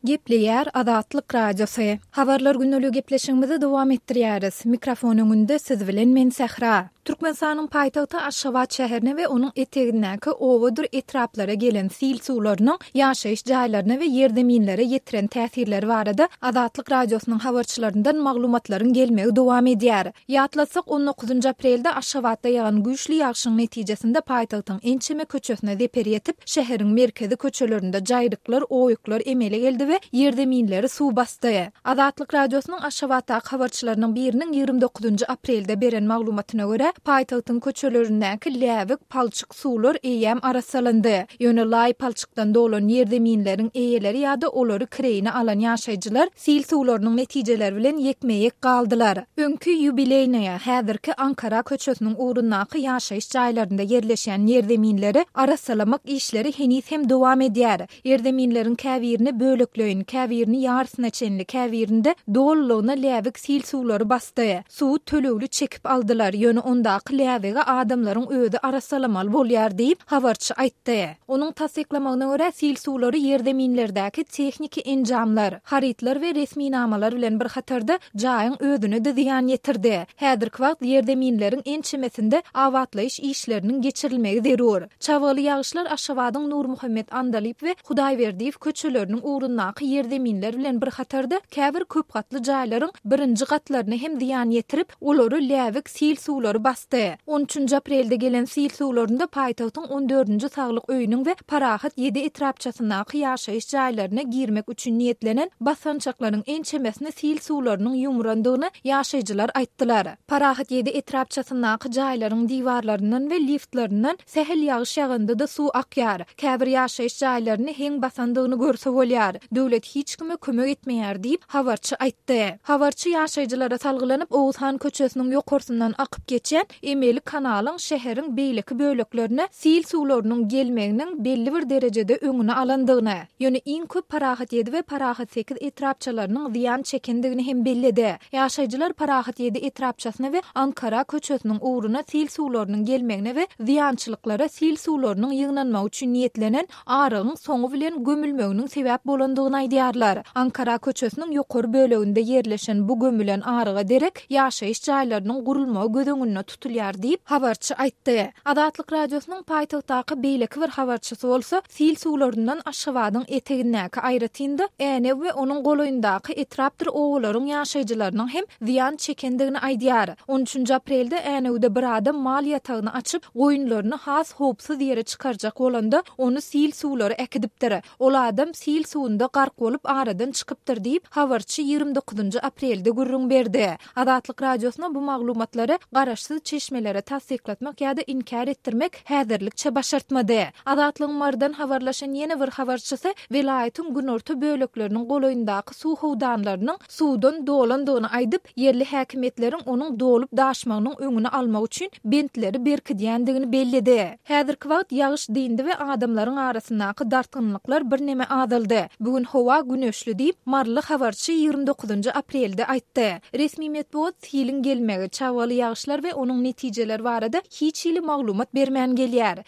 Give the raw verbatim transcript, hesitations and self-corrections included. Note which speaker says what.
Speaker 1: Gepleýär Azatlyk Radiosy. Habarlar gündeligi gepleşigimizi dowam etdirýäris. Mikrofon öňünde siz bilen men Sähra. Türkmenistanyň paýtagty Aşgabat şäherine we onuň etegindäki obadyr etraplara gelen sil suwlarynyň ýaşaýyş jaýlaryna we ýerzeminlere ýetiren täsirleri barada Azatlyk Radiosynyň habarçylaryndan maglumatlaryň gelmegi dowam edýär. Ýatlatsak, on dokuzynjy aprelde Aşgabatda ýagan güýçli ýagşyň netijesinde paýtagtyň ençeme köçesine zeper ýetip, şäheriň merkezi köçelerinde jaýryklar, oýuklar emele geldi we ýerzeminleri suw basdy. Azatlyk Radiosynyň Aşgabatdaky habarçylarynyň biriniň ýigrimi dokuzynjy aprelde beren maglumatyna görä, paýtagtyň köçelerindäki läbik, palçyk suwlar eýýäm arassalandy. Ýöne laý palçykdan dolan ýerzeminleriň eýeleri ýa-da olary kireýine alan ýaşaýjylar sil suwlarynyň netijeleri bilen ýekme-ýek galdylar. Öňki Ýubileýnaýa, häzirki Ankara köçesiniň ugrundaky ýaşaýyş jaýlarynda ýerleşýän ýerzeminleri arassalamak işleri heniz hem dowam edýär. Ýerzeminleriň käbirini bölekleýin, käbirini ýarysyna çenli, käbirinde dolulygyna läbik sil suwlary basdy. Suwy tölegli çekip aldylar, ýöne ondaky läbigi adamlaryň özi arassalamaly bolýar diýip, habarçy aýtdy. Onuň tassyklamagyna görä, sil suwlary ýerzeminlerdäki tehniki enjamlar, harytlar we resminamalar bilen bir hatarda jaýyň özüne-de zyýan ýetirdi. Häzirki wagt ýerzeminleriň ençemesinde abatlaýyş işleriniň geçirilmegi zerur. Çabgaly ýagyşlar Aşgabadyň Nurmuhammet Andalyp we Hudaýberdiýew köçeleriniň ugrundaky ýerzeminler bilen bir hatarda käbir köp gatly jaýlaryň birinji gatlaryna hem zyýan ýetirip, olary läbik sil suwlary basdy. On üçünji aprelde gelen sil suwlarynda paýtagtyň on dördünji saglyk öýüniň we Parahat ýedi etrapçasyndaky ýaşaýyş jaýlaryna girmek üçin niýetlenen basgançaklaryň ençemesini sil suwlarynyň ýumrandygyny ýaşaýjylar aýtdylar. Parahat ýedi etrapçasyndaky jaýlaryň diwarlaryndan we liftlerinden sähel ýagyş ýaganda-da suw akýar. Käbir ýaşaýyş jaýlaryny heň basandygyny görse bolýar. Döwlet hiç kime kömek etmeýär diýip, habarçy aýtdy. Habarçy ýaşaýjylara salgylanyp, Oguzhan köçesiniň ýokarsyndan akyp geçýän emeli kanalyň şäheriň beýleki böleklerine sil suwlarynyň gelmeginiň belli bir derejede öňüni alandygyny, ýöne iň köp Parahat ýedi we Parahat sekiz etrapçalarynyň zyýan çekendigini hem belledi. Ýaşaýjylar Parahat ýedi etrapçasyna we Ankara köçesiniň ugruna sil suwlarynyň gelmegine we zyýançylyklara sil suwlarynyň ýygnanmagy üçin niýetlenen arygyň soňy bilen gömülmeginiň sebäp bolandygyny aýdýarlar. Ankara köçesiniň ýokary böleginde ýerleşen bu gömülen aryga derek ýaşaýyş jaýlarynyň gurulmagy göz öňünde tutulýar diýip, habarçy aýtdy. Azatlyk Radiosynyň paýtagtdaky beýleki bir habarçysy bolsa, sil suwlaryndan Aşgabadyň etegindäki aýratyn-da Änew we onuň golaýyndaky etrapdyr obalaryň ýaşaýjylarynyň hem zyýan çekendigini aýdýar. On üçünji aprelde Änewde bir adam mal ýatagyny açyp, goýunlaryny has howpsuz ýere çykarjak bolanda, ony sil suwlary äkidipdir. Ol adam sil suwunda gark bolup aradan çykypdyr diýip, habarçy ýigrimi dokuzynjy aprelde gürrüň berdi. Azatlyk Radiosyna bu maglumatlary garaşsyz çeşmelere tassyklatmak ýa-da inkär etdirmek häzirlikçe başartmady. Azatlygyň Marydan habarlaşan ýene bir habarçysy welaýatyň günorta bölekleriniň golaýyndaky suw howdanlarynyň suwdan dolandygyny aýdyp, ýerli häkimiýetleriň onuň dolup daşmagynyň öňüni almak üçin bentleri berkidýändigini belledi. Häzirki wagt ýagyş dyndy we adamlaryň arasyndaky dartgynlyklar birneme azaldy. Bu gün howa güneşli diýip, maryly habarçy ýigrimi dokuzynjy aprelde aýtdy. Resmi metbugat siliň gelmegi, çabgaly ýagyşlar we onuň netijeleri barada hiç hili maglumat bermän gelýär.